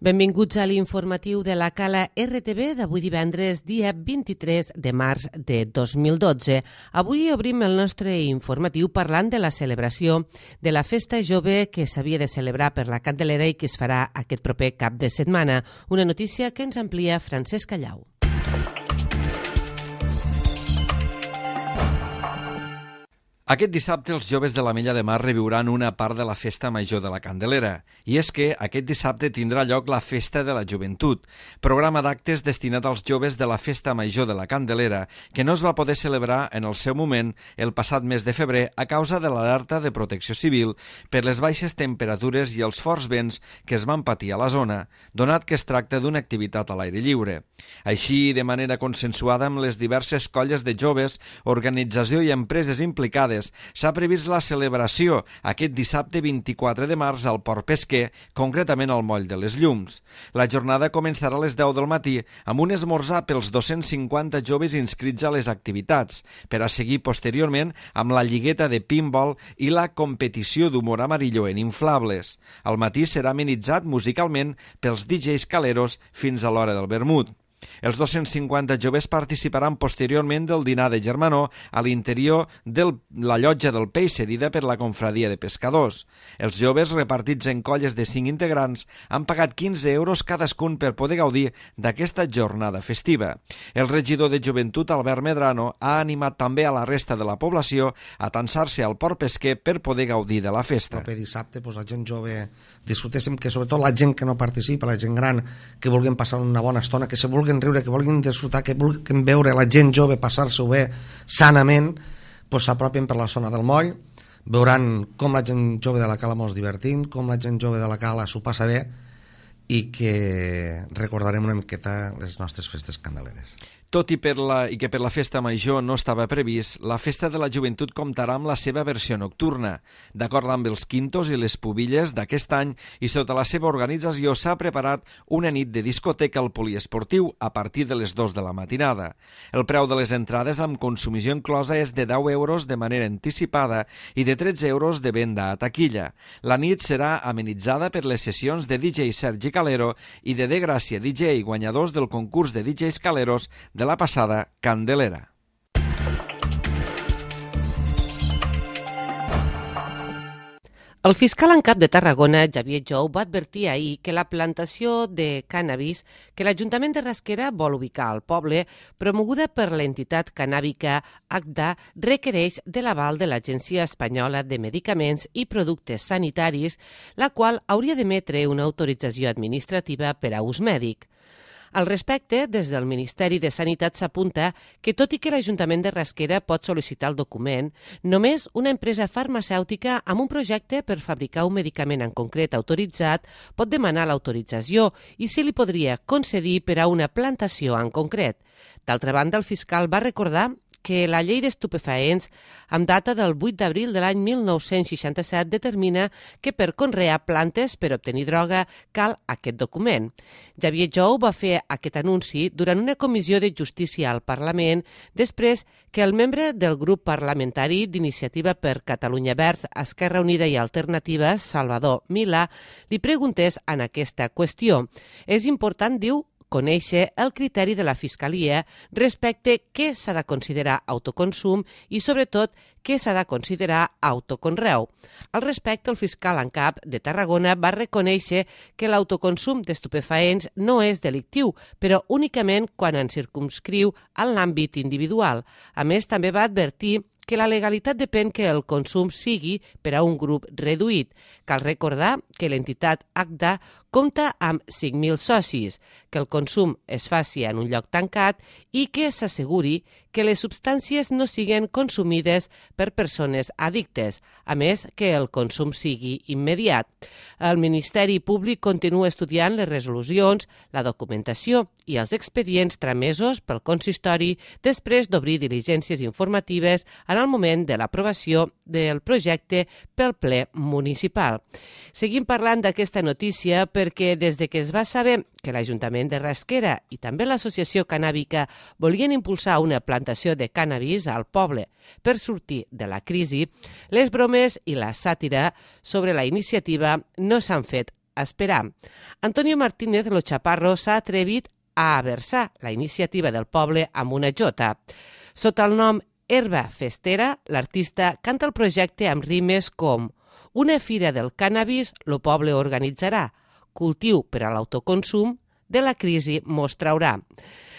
Benvinguts a l'informatiu de la Cala RTV d'avui divendres, dia 23 de març de 2012. Avui obrim el nostre informatiu parlant de la celebració de la Festa Jove que s'havia de celebrar per la Candelera i que es farà aquest proper cap de setmana. Una notícia que ens amplia Francesc Callau. Aquest dissabte els joves de l'Ametlla de Mar reviuran una part de la Festa Major de la Candelera. I és que aquest dissabte tindrà lloc la Festa de la Joventut, programa d'actes destinat als joves de la Festa Major de la Candelera, que no es va poder celebrar en el seu moment el passat mes de febrer a causa de l'alerta de protecció civil per les baixes temperatures i els forts vents que es van patir a la zona, donat que es tracta d'una activitat a l'aire lliure. Així, de manera consensuada amb les diverses colles de joves, organització i empreses implicades, s'ha previst la celebració aquest dissabte 24 de març al Port Pesquer, concretament al Moll de les Llums. La jornada començarà a les 10 del matí amb un esmorzar pels 250 joves inscrits a les activitats, per a seguir posteriorment amb la lligueta de pinball i la competició d'humor amarillo en inflables. Al matí serà amenitzat musicalment pels DJs caleros fins a l'hora del vermut. Els 250 joves participaran posteriorment del dinar de germanor a l'interior de la llotja del Peix cedida per la confradia de pescadors. Els joves, repartits en colles de 5 integrants, han pagat 15 euros cadascun per poder gaudir d'aquesta jornada festiva. El regidor de Joventut, Albert Medrano, ha animat també a la resta de la població a atansar-se al Port Pesquer per poder gaudir de la festa. El proper dissabte la gent jove disfrutéssim, que sobretot la gent que no participa, la gent gran, que vulguin passar una bona estona, que se vulguin riure, que vulguin disfrutar, que vulguin veure la gent jove passar-s'ho bé sanament, s'apropin per la zona del moll, veuran com la gent jove de la Cala mos divertim, com la gent jove de la Cala s'ho passa bé i que recordarem una miqueta les nostres festes candeleres. Tot i que per la Festa Major no estava previst, la Festa de la Joventut comptarà amb la seva versió nocturna. D'acord amb els quintos i les pubilles d'aquest any i sota la seva organització s'ha preparat una nit de discoteca al poliesportiu a partir de les 2 de la matinada. El preu de les entrades amb consumició inclosa és de 10 euros de manera anticipada i de 13 euros de venda a taquilla. La nit serà amenitzada per les sessions de DJ Sergi Calero i de Gràcia DJ, guanyadors del concurs de DJs Caleros de la passada Candelera. El fiscal en cap de Tarragona, Xavier Jou, va advertir ahir que la plantació de cànnabis que l'Ajuntament de Rasquera vol ubicar al poble, promoguda per l'entitat cannàbica ACDA, requereix de l'aval de l'Agència Espanyola de Medicaments i Productes Sanitaris, la qual hauria d'emetre una autorització administrativa per a ús mèdic. Al respecte, des del Ministeri de Sanitat s'apunta que, tot i que l'Ajuntament de Rasquera pot sol·licitar el document, només una empresa farmacèutica amb un projecte per fabricar un medicament en concret autoritzat pot demanar l'autorització i se li podria concedir per a una plantació en concret. D'altra banda, el fiscal va recordar que la llei d'estupefaents, amb data del 8 d'abril de l'any 1967, determina que per conrear plantes per obtenir droga cal aquest document. Xavier Jou va fer aquest anunci durant una comissió de justícia al Parlament després que el membre del grup parlamentari d'Iniciativa per Catalunya Verds, Esquerra Unida i Alternativa, Salvador Milà, li preguntés en aquesta qüestió. És important, diu, conèixer el criteri de la Fiscalia respecte què s'ha de considerar autoconsum i, sobretot, què s'ha de considerar autoconreu. Al respecte, el fiscal en cap de Tarragona va reconèixer que l'autoconsum d'estupefaents no és delictiu, però únicament quan en circumscriu en l'àmbit individual. A més, també va advertir que la legalitat depèn que el consum sigui per a un grup reduït. Cal recordar que l'entitat ACDA compta amb 5.000 socis, que el consum es faci en un lloc tancat i que s'asseguri que les substàncies no siguen consumides per persones addictes, a més que el consum sigui immediat. El Ministeri Públic continua estudiant les resolucions, la documentació i els expedients tramesos pel consistori després d'obrir diligències informatives en el moment de l'aprovació del projecte pel ple municipal. Seguim parlant d'aquesta notícia perquè des de que es va saber que l'Ajuntament de Rasquera i també l'Associació Cannàbica volien impulsar una plantació de cànnabis al poble per sortir de la crisi, les bromes i la sàtira sobre la iniciativa no s'han fet esperar. Antonio Martínez Lo Chaparro s'ha atrevit a versar la iniciativa del poble amb una jota. Sota el nom Herba Festera, l'artista canta el projecte amb rimes com «Una fira del cànnabis lo poble organitzarà, cultiu per a l'autoconsum, de la crisi mos traurà».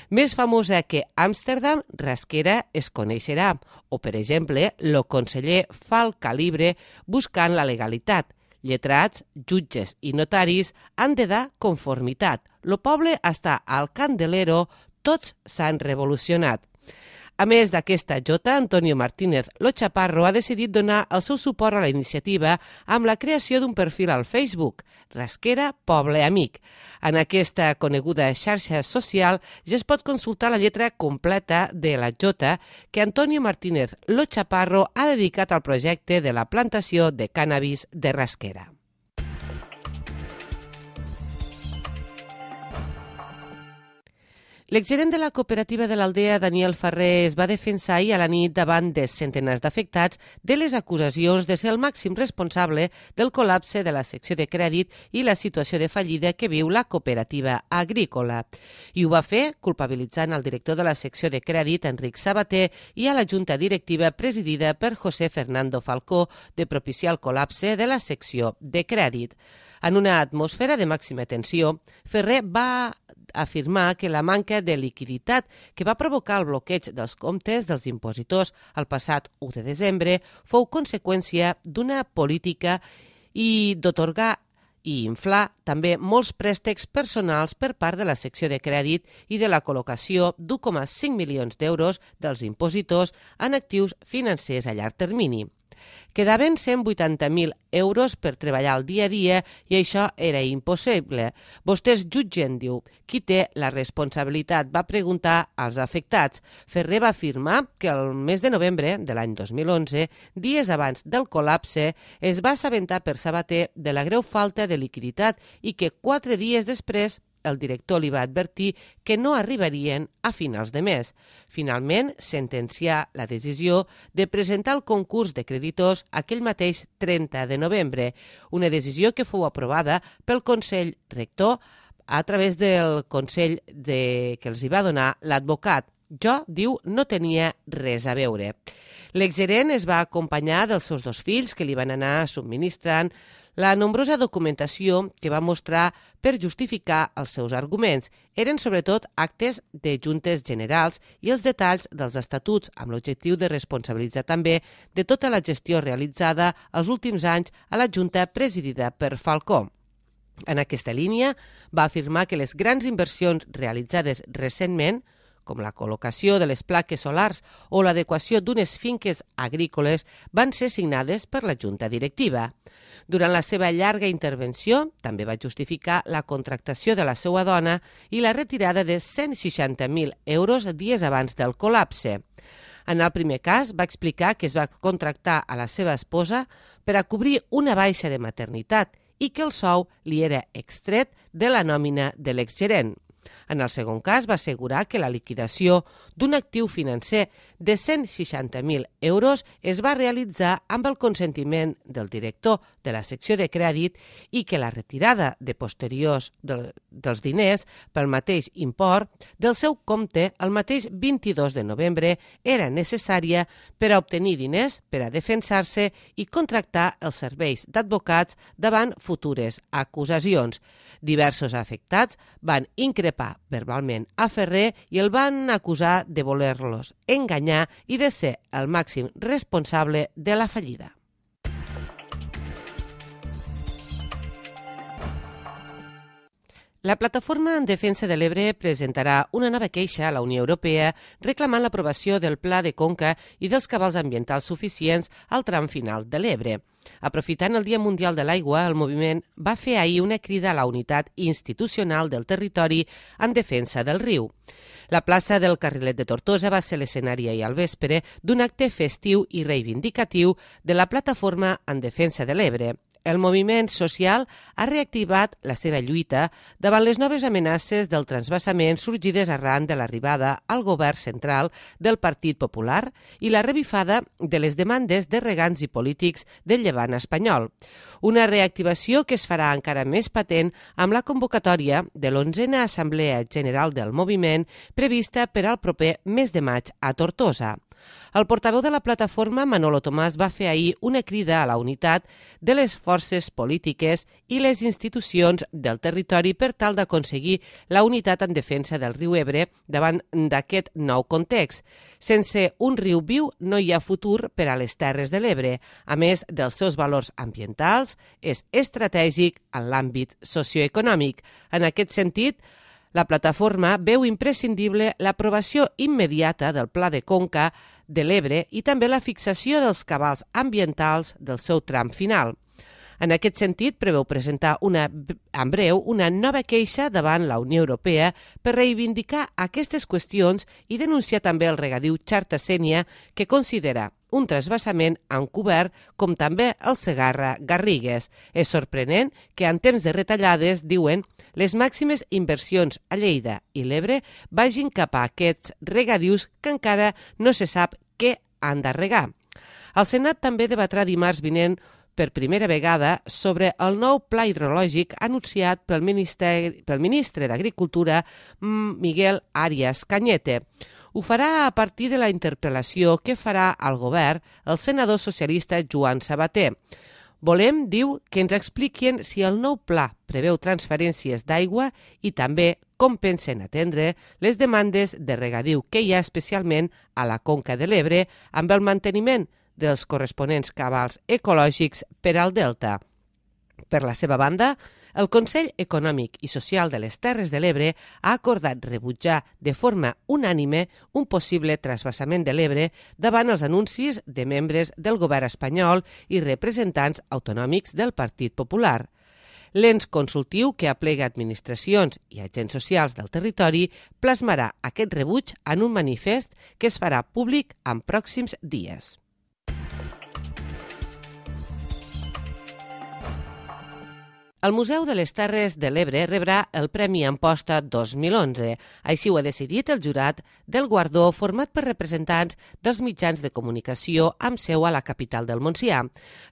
Més famosa que Amsterdam, Rasquera es coneixerà, o, per exemple, lo conseller fa el calibre buscant la legalitat. Lletrats, jutges i notaris han de dar conformitat. Lo poble està al candelero, tots s'han revolucionat. A més d'aquesta jota, Antonio Martínez Lo Chaparro ha decidit donar el seu suport a la iniciativa amb la creació d'un perfil al Facebook, Rasquera Poble Amic. En aquesta coneguda xarxa social ja es pot consultar la lletra completa de la jota que Antonio Martínez Lo Chaparro ha dedicat al projecte de la plantació de cànnabis de Rasquera. L'exgerent de la cooperativa de l'Aldea, Daniel Ferrer, es va defensar ahir a la nit davant de centenars d'afectats de les acusacions de ser el màxim responsable del col·lapse de la secció de crèdit i la situació de fallida que viu la cooperativa agrícola. I ho va fer culpabilitzant el director de la secció de crèdit, Enric Sabater, i a la junta directiva presidida per José Fernando Falcó de propiciar el col·lapse de la secció de crèdit. En una atmosfera de màxima tensió, Ferrer va afirmar que la manca de liquiditat que va provocar el bloqueig dels comptes dels impositors el passat 1 de desembre fou conseqüència d'una política i d'atorgar i inflar també molts préstecs personals per part de la secció de crèdit i de la col·locació d'1,5 milions d'euros dels impositors en actius financers a llarg termini. Quedaven 180.000 euros per treballar el dia a dia i això era impossible. Vostès jutgen, diu. Qui té la responsabilitat? Va preguntar als afectats. Ferrer va afirmar que el mes de novembre de l'any 2011, dies abans del col·lapse, es va assabentar per Sabater de la greu falta de liquiditat i que 4 dies després el director li va advertir que no arribarien a finals de mes. Finalment, sentencià la decisió de presentar el concurs de creditors aquell mateix 30 de novembre, una decisió que fou aprovada pel Consell Rector a través del Consell que els hi va donar l'advocat. Jo, diu, no tenia res a veure. L'exgerent es va acompanyar dels seus 2 fills que li van anar subministrant la nombrosa documentació que va mostrar per justificar els seus arguments. Eren sobretot actes de juntes generals i els detalls dels estatuts amb l'objectiu de responsabilitzar també de tota la gestió realitzada els últims anys a la junta presidida per Falcó. En aquesta línia va afirmar que les grans inversions realitzades recentment, com la col·locació de les plaques solars o l'adequació d'unes finques agrícoles, van ser signades per la junta directiva. Durant la seva llarga intervenció, també va justificar la contractació de la seva dona i la retirada de 160.000 euros dies abans del col·lapse. En el primer cas, va explicar que es va contractar a la seva esposa per a cobrir una baixa de maternitat i que el sou li era extret de la nòmina de l'exgerent. En el segon cas, va assegurar que la liquidació d'un actiu financer de 160.000 euros es va realitzar amb el consentiment del director de la secció de crèdit i que la retirada de posteriors dels diners pel mateix import del seu compte el mateix 22 de novembre era necessària per a obtenir diners per a defensar-se i contractar els serveis d'advocats davant futures acusacions. Diversos afectats van increpar verbalment a Ferrer i el van acusar de voler-los enganyar i de ser el màxim responsable de la fallida. La Plataforma en Defensa de l'Ebre presentarà una nova queixa a la Unió Europea reclamant l'aprovació del Pla de Conca i dels cabals ambientals suficients al tram final de l'Ebre. Aprofitant el Dia Mundial de l'Aigua, el moviment va fer ahir una crida a la unitat institucional del territori en defensa del riu. La plaça del Carrilet de Tortosa va ser l'escenari ahir al vespre d'un acte festiu i reivindicatiu de la Plataforma en Defensa de l'Ebre. El moviment social ha reactivat la seva lluita davant les noves amenaces del transvasament sorgides arran de l'arribada al govern central del Partit Popular i la revifada de les demandes de regants i polítics del Llevant espanyol. Una reactivació que es farà encara més patent amb la convocatòria de l'11a Assemblea General del Moviment prevista per al proper mes de maig a Tortosa. El portaveu de la plataforma, Manolo Tomàs, va fer ahir una crida a la unitat de les forces polítiques i les institucions del territori per tal d'aconseguir la unitat en defensa del riu Ebre davant d'aquest nou context. Sense un riu viu no hi ha futur per a les Terres de l'Ebre. A més dels seus valors ambientals, és estratègic en l'àmbit socioeconòmic. En aquest sentit, la plataforma veu imprescindible l'aprovació immediata del Pla de Conca de l'Ebre i també la fixació dels cabals ambientals del seu tram final. En aquest sentit, preveu presentar en breu una nova queixa davant la Unió Europea per reivindicar aquestes qüestions i denunciar també el regadiu Xarta-Sénia, que considera un transvasament encobert, com també el Segarra-Garrigues. És sorprenent que en temps de retallades, diuen, les màximes inversions a Lleida i l'Ebre vagin cap a aquests regadius que encara no se sap què han de regar. El Senat també debatrà dimarts vinent per primera vegada sobre el nou pla hidrològic anunciat pel ministre d'Agricultura, Miguel Arias Cañete. Ho farà a partir de la interpel·lació que farà al govern el senador socialista Joan Sabater. Volem, diu, que ens expliquin si el nou pla preveu transferències d'aigua i també com pensen atendre les demandes de regadiu que hi ha especialment a la Conca de l'Ebre amb el manteniment dels corresponents cabals ecològics per al delta. Per la seva banda, el Consell Econòmic i Social de les Terres de l'Ebre ha acordat rebutjar de forma unànime un possible transvasament de l'Ebre davant els anuncis de membres del govern espanyol i representants autonòmics del Partit Popular. L'ens consultiu que aplega administracions i agents socials del territori plasmarà aquest rebuig en un manifest que es farà públic en pròxims dies. El Museu de les Terres de l'Ebre rebrà el Premi Amposta 2011. Així ho ha decidit el jurat del guardó format per representants dels mitjans de comunicació amb seu a la capital del Montsià.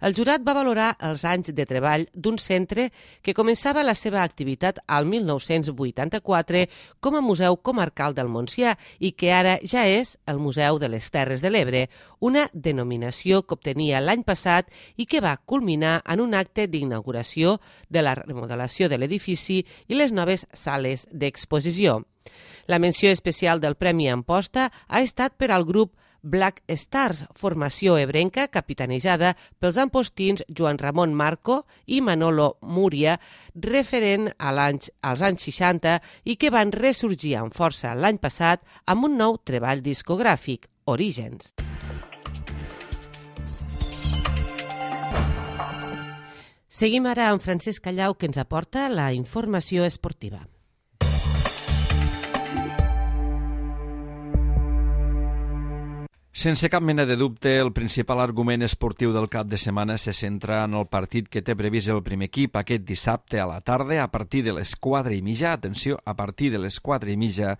El jurat va valorar els anys de treball d'un centre que començava la seva activitat al 1984 com a Museu Comarcal del Montsià i que ara ja és el Museu de les Terres de l'Ebre, una denominació que obtenia l'any passat i que va culminar en un acte d'inauguració de la remodelació de l'edifici i les noves sales d'exposició. La menció especial del Premi Amposta ha estat per al grup Black Stars, formació ebrenca capitanejada pels ampostins Joan Ramon Marco i Manolo Múria, referent als anys 60 i que van ressorgir amb força l'any passat amb un nou treball discogràfic, Orígens. Seguim ara amb Francesc Callau, que ens aporta la informació esportiva. Sense cap mena de dubte, el principal argument esportiu del cap de setmana se centra en el partit que té previst el primer equip aquest dissabte a la tarda a partir de les 4:30, atenció, a partir de les 4:30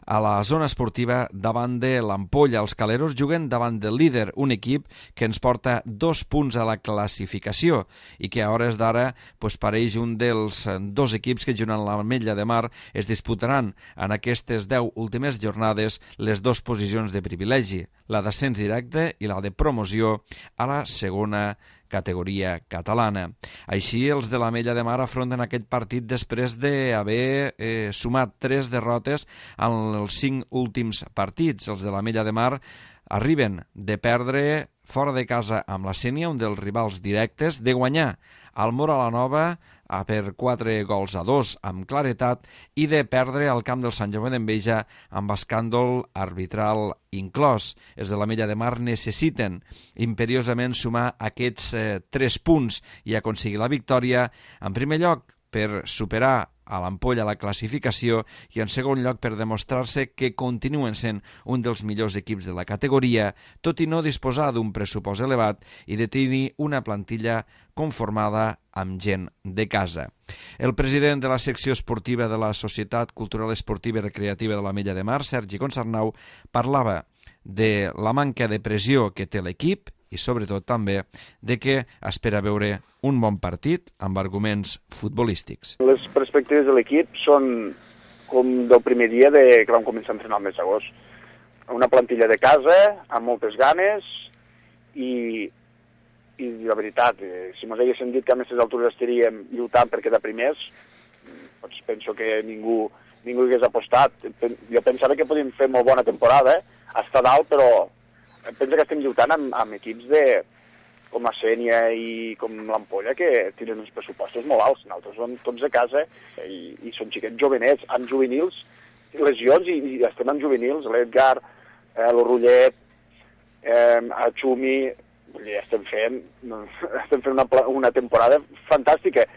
a la zona esportiva davant de l'Ampolla. Els caleros juguen davant del líder, un equip que ens porta 2 punts a la classificació i que a hores d'ara pareix un dels 2 equips que junt amb l'Ametlla de Mar es disputaran en aquestes 10 últimes jornades les 2 posicions de privilegi, la d'ascens directe i la de promoció a la segona categoria catalana. Així, els de l'Ametlla de Mar afronten aquest partit després d'haver sumat 3 derrotes en els 5 últims partits. Els de l'Ametlla de Mar arriben de perdre fora de casa amb la Sénia, un dels rivals directes, de guanyar al Móra la Nova per 4-2 amb claretat i de perdre al camp del Sant Jaume d'Enveja amb escàndol arbitral inclòs. Els de l'Ametlla de Mar necessiten imperiosament sumar aquests 3 punts i aconseguir la victòria, en primer lloc per superar a l'Ampolla la classificació i en segon lloc per demostrar-se que continuen sent un dels millors equips de la categoria, tot i no disposar d'un pressupost elevat i de tenir una plantilla conformada amb gent de casa. El president de la secció esportiva de la Societat Cultural Esportiva i Recreativa de l'Ametlla de Mar, Sergi Consarnau, parlava de la manca de pressió que té l'equip i sobretot també de que espera veure un bon partit amb arguments futbolístics. Les perspectives de l'equip són com del primer dia que vam començar a entrenar el mes d'agost. Una plantilla de casa, amb moltes ganes i la veritat, si ens haguessin dit que a aquestes altures estaríem lluitant per quedar primers, doncs penso que ningú hi hagués apostat. Jo pensava que podíem fer molt bona temporada, estar dalt, però penso que estem lluitant amb equips com la Sénia i com l'Ampolla, que tenen uns pressupostos molt alts. Nosaltres som tots de casa i són xiquets jovenets, amb juvenils, lesions, i estem amb juvenils, l'Edgar, l'Orrullet, a Xumi, estem fent una temporada fantàstica.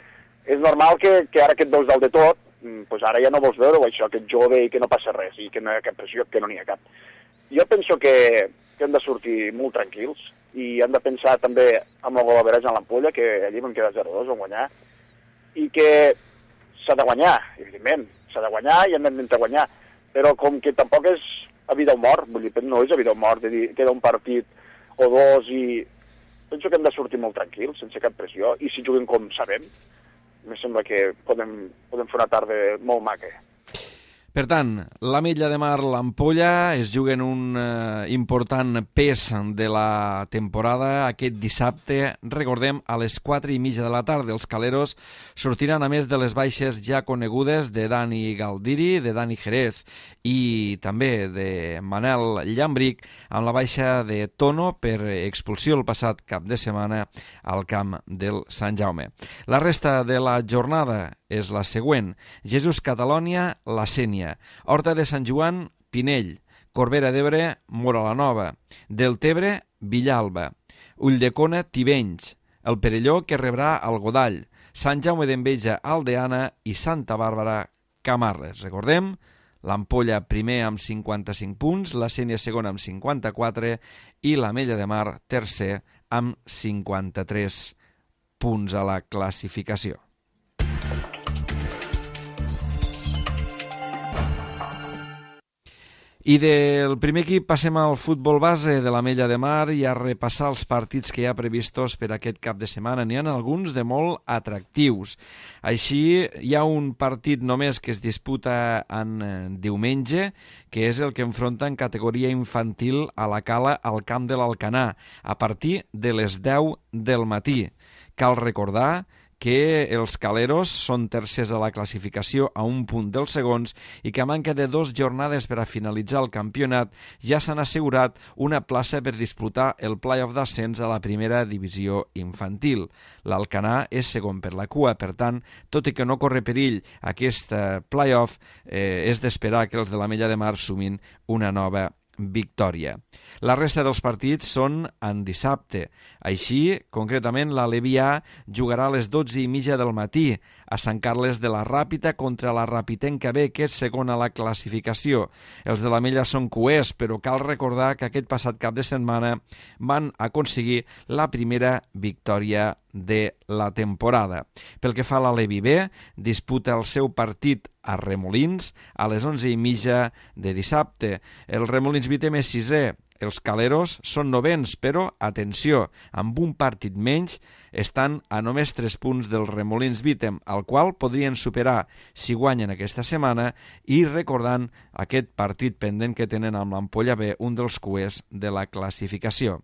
És normal que ara que et veus dalt de tot, doncs ara ja no vols veure això, que ets jove i que no passa res, i que no hi ha cap pressió, que no n'hi ha cap. Jo penso que hem de sortir molt tranquils i hem de pensar també amb el golaveratge en l'Ampolla, que allí vam quedar 0-2, vam guanyar, i que s'ha de guanyar, evidentment, s'ha de guanyar i hem d'intentar guanyar, però com que tampoc és a vida o mort, vull dir, no és a vida o mort, de dir, queda un partit o dos i penso que hem de sortir molt tranquils, sense cap pressió, i si juguem com sabem, em sembla que podem fer una tarda molt maca. Per tant, l'Ametlla de Mar, l'Ampolla es juguen un important pes de la temporada aquest dissabte, recordem, a les 4:30 de la tarda. Els caleros sortiran a més de les baixes ja conegudes de Dani Galdiri, de Dani Jerez i també de Manel Llambric, amb la baixa de Tono per expulsió el passat cap de setmana al camp del Sant Jaume. La resta de la jornada és la següent: Jesús Catalònia, la Sénia; Horta de Sant Joan, Pinell; Corbera d'Ebre, Móra la Nova; Deltebre, Villalba; Ulldecona, Tivenys; el Perelló, que rebrà el Godall; Sant Jaume d'Enveja, Aldeana i Santa Bàrbara, Camarles. Recordem, l'Ampolla primer amb 55 punts, la Sénia segona amb 54 i l'Ametlla de Mar tercer amb 53 punts a la classificació. I del primer equip passem al futbol base de l'Ametlla de Mar i a repassar els partits que hi ha previstos per aquest cap de setmana. N'hi ha alguns de molt atractius. Així, hi ha un partit només que es disputa en diumenge, que és el que enfronta en categoria infantil a la Cala al camp de l'Alcanar, a partir de les 10 del matí. Cal recordar que els caleros són tercers a la classificació a un punt dels segons i que a manca de 2 jornades per a finalitzar el campionat ja s'han assegurat una plaça per disputar el play-off d'ascens a la primera divisió infantil. L'Alcanar és segon per la cua, per tant, tot i que no corre perill aquest play-off, és d'esperar que els de l'Ametlla de Mar sumin una nova victòria. La resta dels partits són en dissabte. Així, concretament, l'Alevià jugarà a les 12:30 del matí a Sant Carles de la Ràpita contra la Rapitenca B, que és segona a la classificació. Els de l'Ametlla són cuers, però cal recordar que aquest passat cap de setmana van aconseguir la primera victòria de la temporada. Pel que fa a l'Alevi B, disputa el seu partit a Remolins a les 11:30 de dissabte. El Remolins Vitem és sisè. Els caleros són novens, però, atenció, amb un partit menys, estan a només 3 punts del Remolins Vitem, al qual podrien superar si guanyen aquesta setmana, i recordant aquest partit pendent que tenen amb l'Ampolla B, un dels cuers de la classificació.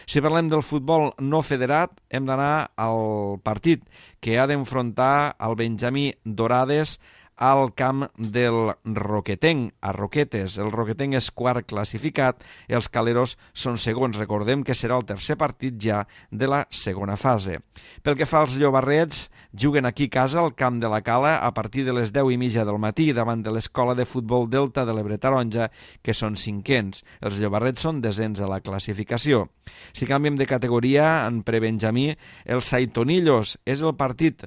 Si parlem del futbol no federat, hem d'anar al partit que ha d'enfrontar el Benjamí Dorades al camp del Roquetenc, a Roquetes. El Roquetenc és quart classificat, els caleros són segons. Recordem que serà el tercer partit ja de la segona fase. Pel que fa als llobarrets, juguen aquí a casa al camp de la Cala a partir de les 10:30 del matí davant de l'Escola de Futbol Delta de l'Ebre Taronja, que són cinquens. Els llobarrets són desens a la classificació. Si canviem de categoria, en prebenjamí, el Saitonillos és el partit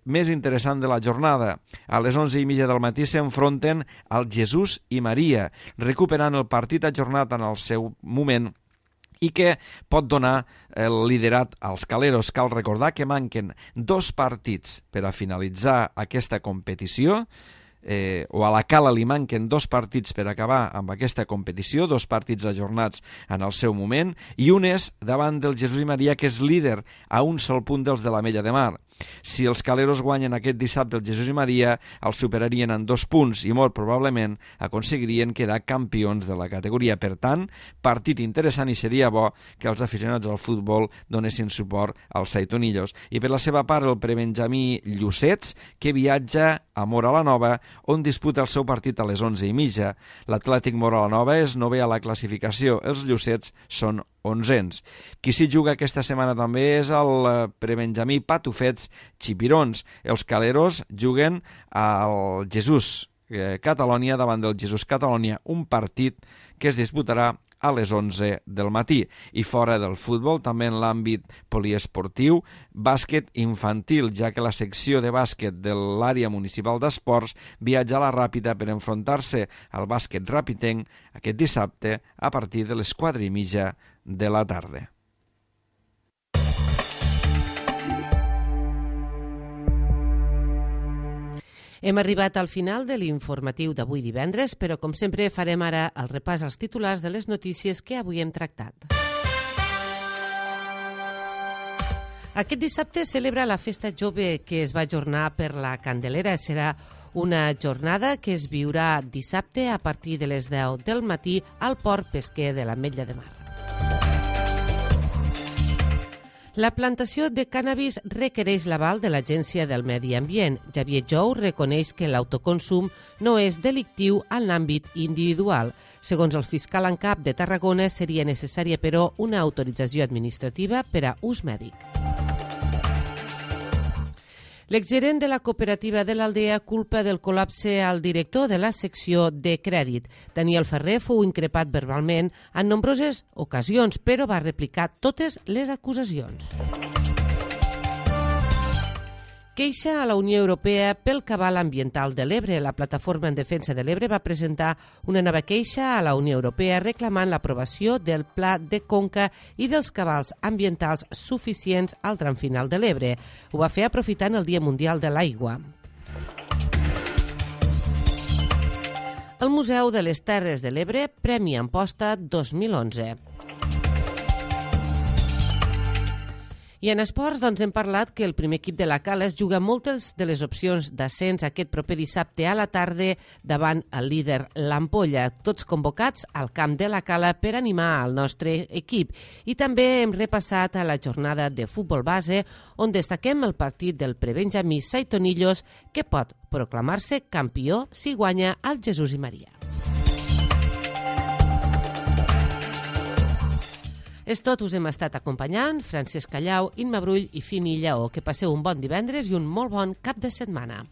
més interessant de la jornada. A les 11:30 del matí s'enfronten al Jesús i Maria, recuperant el partit ajornat en el seu moment i que pot donar el liderat als caleros. Cal recordar que manquen 2 partits per a finalitzar aquesta competició, o a la Cala li manquen 2 partits per acabar amb aquesta competició, 2 partits ajornats en el seu moment, i un és davant del Jesús i Maria, que és líder a un sol punt dels de l'Ametlla de Mar. Si els caleros guanyen aquest dissabte el Jesús i Maria, els superarien en 2 punts i molt probablement aconseguirien quedar campions de la categoria. Per tant, partit interessant, i seria bo que els aficionats al futbol donessin suport als saitonillos. I per la seva part, el prebenjamí Llucets, que viatja a Móra la Nova, on disputa el seu partit a les 11:30. L'Atlètic Móra la Nova és 9è a la classificació. Els Llucets són 11ens. Qui s'hi juga aquesta setmana també és el prebenjamí Patufets Xipirons. Els caleros juguen al Jesús Catalònia davant del Jesús Catalònia, un partit que es disputarà a les 11 del matí. I fora del futbol, també en l'àmbit poliesportiu, bàsquet infantil, ja que la secció de bàsquet de l'àrea municipal d'esports viatja a la Ràpita per enfrontar-se al bàsquet rapitenc aquest dissabte a partir de les 4:30 de la tarda. Hem arribat al final de l'informatiu d'avui divendres, però com sempre farem ara el repàs als titulars de les notícies que avui hem tractat. Aquest dissabte celebra la Festa Jove, que es va ajornar per la Candelera. Serà una jornada que es viurà dissabte a partir de les 10 del matí al port pesquer de l'Ametlla de Mar. La plantació de cànnabis requereix l'aval de l'Agència del Medi Ambient. Xavier Jou reconeix que l'autoconsum no és delictiu en l'àmbit individual. Segons el fiscal en cap de Tarragona, seria necessària, però, una autorització administrativa per a ús mèdic. L'exgerent de la cooperativa de l'Aldea culpa del col·lapse al director de la secció de crèdit. Daniel Ferrer fou increpat verbalment en nombroses ocasions, però va replicar totes les acusacions. Queixa a la Unió Europea pel cabal ambiental de l'Ebre. La Plataforma en Defensa de l'Ebre va presentar una nova queixa a la Unió Europea reclamant l'aprovació del Pla de Conca i dels cabals ambientals suficients al tram final de l'Ebre. Ho va fer aprofitant el Dia Mundial de l'Aigua. El Museu de les Terres de l'Ebre, Premi Amposta 2011. I en esports hem parlat que el primer equip de la Cala es juga moltes de les opcions d'ascens aquest proper dissabte a la tarda davant el líder l'Ampolla, tots convocats al camp de la Cala per animar el nostre equip. I també hem repassat a la jornada de futbol base, on destaquem el partit del prebenjamí Saitonillos, que pot proclamar-se campió si guanya el Jesús i Maria. És tot, us hem estat acompanyant, Francesc Callau, Imma Brull i Fini Lleó. Que passeu un bon divendres i un molt bon cap de setmana.